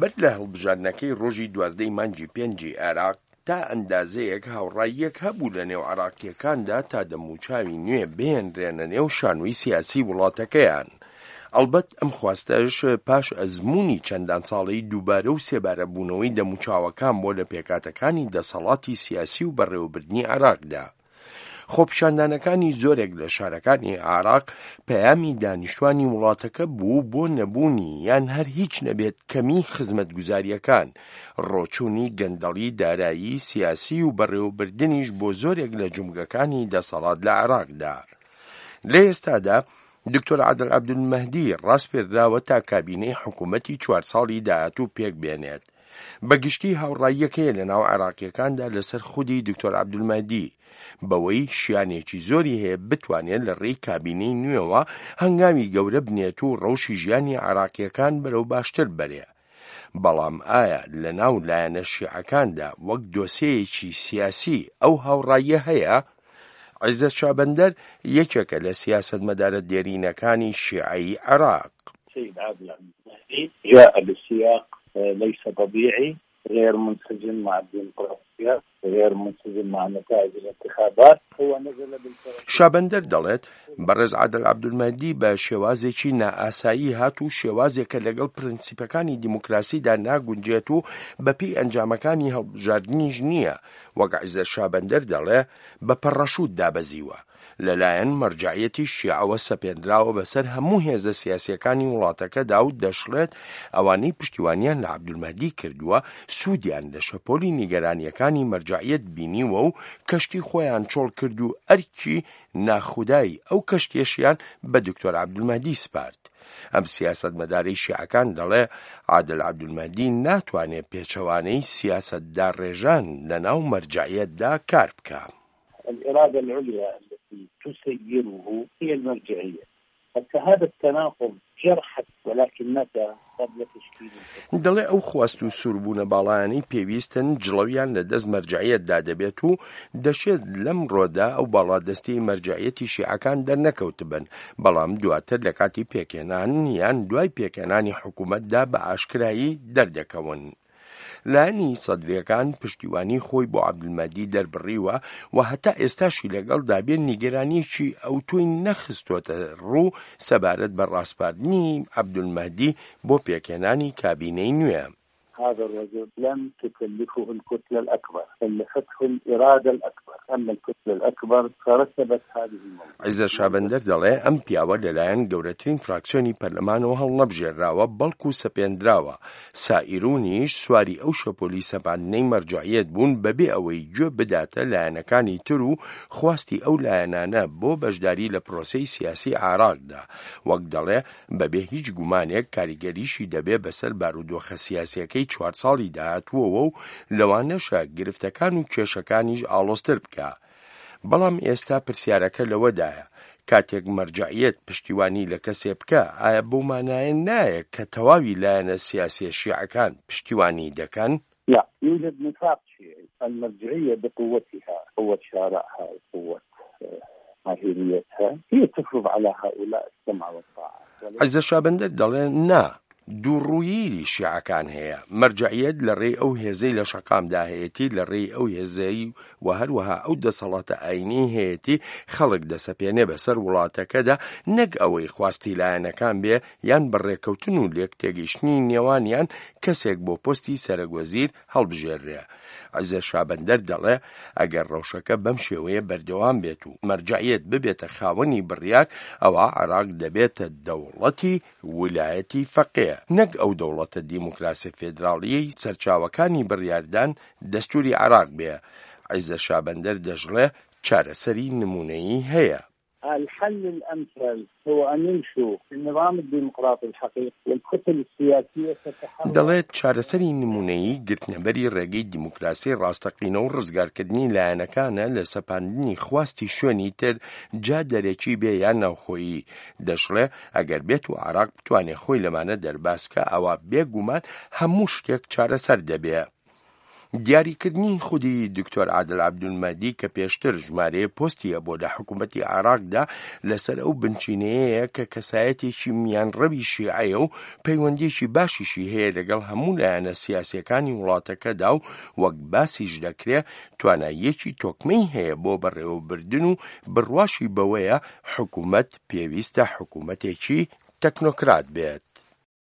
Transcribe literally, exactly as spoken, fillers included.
بەر لە هەڵبژاردنەکەی ڕۆژی دوازدەی مانگی پێنجی عێراق، تا ئەندازەیەک هاوڕاییەک هەبوو لە نێو عێراقییەکاندا تا دەموچاوی نوێ بهێنرێنە نێو شانۆی سیاسی وڵاتەکەیان. ئەڵبەت ئەم خواستەش پاش ئەزموونی چەندان ساڵەی دووبارە و سێبارە بوونەوەی دەموچاوەکان بۆ لە پێکهاتەکانی دەسەڵاتی سیاسی و بەڕێوەبردنی عێراقدا. خۆپیشاندانەکانی زۆرێک لە شارەکانی عێراق پەیامی دانیشتوانی وڵاتەکە بوو بۆ نەبوونی یان هەر هیچ نەبێت کەمی خزمەتگوزارییەکان، ڕۆچوونی گەندەڵی دارایی، سیاسی و بەڕێوەبردنیش بۆ زۆرێک لە جومگەکانی دەسەڵات لە عێراقدا. لە ئێستادا دکتۆر عادل عەبدولمەهدی ڕاسپێردراوە تا کابینەی حکوومەتی چوار ساڵی داهاتوو پێک بێنێت. بە گشتی هاوڕاییەک هەیە لە ناو عێراقییەکاندا لەسەر خودی دکتۆر عەبدولمەهدی، بەوەی شیانێکی زۆری هەیە بتوانێت لە ڕێی کابینەی نوێوە هەنگاوی گەورە بنێت و ڕەوشی ژیانی عێراقییەکان بەرەو باشتر بەرێ. بەڵام ئایا لە ناو لایەنە شیعەکاندا وەک دۆسێیەکی سیاسی ئەو هاوڕاییە هەیە؟ عیزەت شابەندەر یەکێکە لە سیاسەتمەدارە دێرینەکانی شیعەی عێراق. سید عادل عبدالمهدی جاء بسیاق ليس طبيعي غير منسجم مع الديمقراطية غير منسجم مع نتائج الانتخابات هو نزل بالفرق. شابەندەر دەڵێت، بەڕێز عادل عەبدولمەهدی بە شێوازێکی نائاسایی هات و شێوازێکە لەگەڵ پرەنسیپەکانی دیموکراسیدا ناگونجێت و بەپێی ئەنجامەکانی هەڵبژاردنیش نییە، وەک عیزەت شابەندەر دەڵێ بە پەڕەشوت دابەزیوە. لەلایەن مەرجەعیەتی شیعەوە سەپێنراوە بەسەر هەموو هێزە سیاسیەکانی وڵاتەکەدا و دەشڵێت ئەوانەی پشتیوانیان لە عەبدولمەهدی کردووە سوودیان لە شەپۆلی نیگەرانیەکانی مەرجەعیەت بینیوە و کەشتی خۆیان چۆڵ کرد و ئەرکی ناخودای ئەو کەشتیەشیان بە دکتۆر عەبدولمەهدی سپارد. ئەم سیاسەتمەدارەی شیعەکان دەڵێ عادل عەبدولمەهدی ناتوانێ پێچەوانەی سیاسەتداڕێژان لەناو مەرجەعیەتدا کار بکا. الإرادة العليا التي تسيره هي المرجعية حتى هذا التناقض جرحت ولكن متى قبل تشكيل الحكومة. دەڵێ ئەو خواست و سووربوونە باڵایانەی پێویستن جڵەویان لە دەست مەرجەعیەتدا دەبێت و دەشێت لەمڕۆدا ئەو باڵادەستیەی مەرجەعیەتی شیعەکان دەرنەکەوتبن، بەڵام دواتر لە کاتی پێکهێنان یان دوای پێکهێنانی حکوومەتدا بە ئاشکرایی دەردەکەون. لایەنی سەدرییەکان پشتیوانی خۆی بۆ عەبدولمەهدی دەربڕیوە و هەتا ئێستاشی لەگەڵدا بێ نیگەرانییەکی ئەوتۆی نەخستۆتە ڕوو سەبارەت بە ڕاسپاردنی عەبدولمەهدی بۆ پێکهێنانی کابینەی نوێ. هذا الرجل لم تكلفه الكتلة الأكبر كلفته الإرادة الأكبر أما الكتلة الأكبر فرتبت هذه الموضوع. عیزەت شابەندەر دەڵێ ئەم پیاوە لەلایەن گەورەترین فراکسیۆنی پەرلەمانەوە هەڵنەبژێرراوە بەڵکو سەپێندراوە، سائیرونیش سواری ئەو شەپۆلی سەپاندنەی مەرجەعیەت بوون بەبێ ئەوەی گوێ بداتە لایەنەکانی تر و خواستی ئەو لایەنانە بۆ بەشداری لە پرۆسەی سیاسی عێراقدا، وەک دەڵێ بەبێ هیچ گومانێک کاریگەریشی دەبێ بەسەر بارودۆخە سیاسیەکەی چوار ساڵی داهاتووەوە و لەوانەشە گرفتەکان و کێشەکانیش ئاڵۆزتر بکا. بەڵام ئێستا پرسیارەکە لەوەدایە کاتێک مەرجەعیەت پشتیوانی لە کەسێ بکا ئایا بەو مانایە نایە کە تەواوی لایەنە سیاسیە شیعەکان پشتیوانی دەکەن؟ لا يوجد نفاق شيعي المرجعية بقوتها قوة شارعها وقوة ماهيريتها هي تفرض على هؤلاء السمع والطاعة. عیزەت شابەندەر دەڵێ نا، دووڕوویی شیعەکان هەیە، مەرجەعیەت لە ڕێی ئەو هێزەی لە شەقامدا هەیەتی، لە ڕێی ئەو هێزەی و هەروەها ئەو دەسەڵاتە ئایینیەی هەیەتی خەڵک دەسەپێنێ بەسەر وڵاتەکەدا، نەک ئەوەی خواستی لایەنەکان بێ یان بە ڕێککەوتن و لێکتێگەیشتنی نێوانیان کەسێک بۆ پۆستی سەرەکوەزیر هەڵبژێررێ. عیزەت شابەندەر دەڵێ ئەگەر ڕەوشەکە بەم شێوەیە بەردەوام بێت و مەرجەعیەت ببێتە خاوەنی بڕیار ئەوا عێراق دەبێتە دەوڵەتی ولایەتی فەقێ نەک ئەو دەوڵەتە دیموکراسیە فێدراڵیەی سەرچاوەکانی بڕیاردان دەستوری عێراق بێ. عیزەت شابەندەر دەشڵێ چارەسەری نمونەیی هەیە. الحل الأمثل هو أن يمشوا في النظام الديمقراطي الحقيقي والكتل السياسية تتحرك. دەڵێت چارەسەری نمونەیی گرتنەبەری ڕێگەی دیموکراسی ڕاستەقینە و ڕزگارکردنی لایەنەکانە لە سەپاندنی خواستی شوێنی تر جا دەرەکی بێ یان ناوخۆیی. دەشڵێ ئەگەر بێت و عێراق بتوانێ خۆی لەمانە دەرباز بکا ئەوا بێگومان هەموو شتێک چارەسەر دەبێ. دیاریکردنی خودی دکتۆر عادل عەبدولمەهدی کە پێشتر ژمارەیە پۆستی هەبووە لە حکوومەتی عێراقدا لەسەر ئەو بنچینەیەیە کە کەسایەتێکی میانڕەوی شیعەیە و پەیوەندییەکی باشیشی هەیە لەگەڵ هەموو لایەنە سیاسییەکانی وڵاتەکەدا و وەک باسیش دەکرێ تواناییەکی تۆکمەی هەیە بۆ بەڕێوەبردن و بڕواشی بەوەیە حکوومەت پێویستە حکوومەتێکی تەکنۆکرات بێت.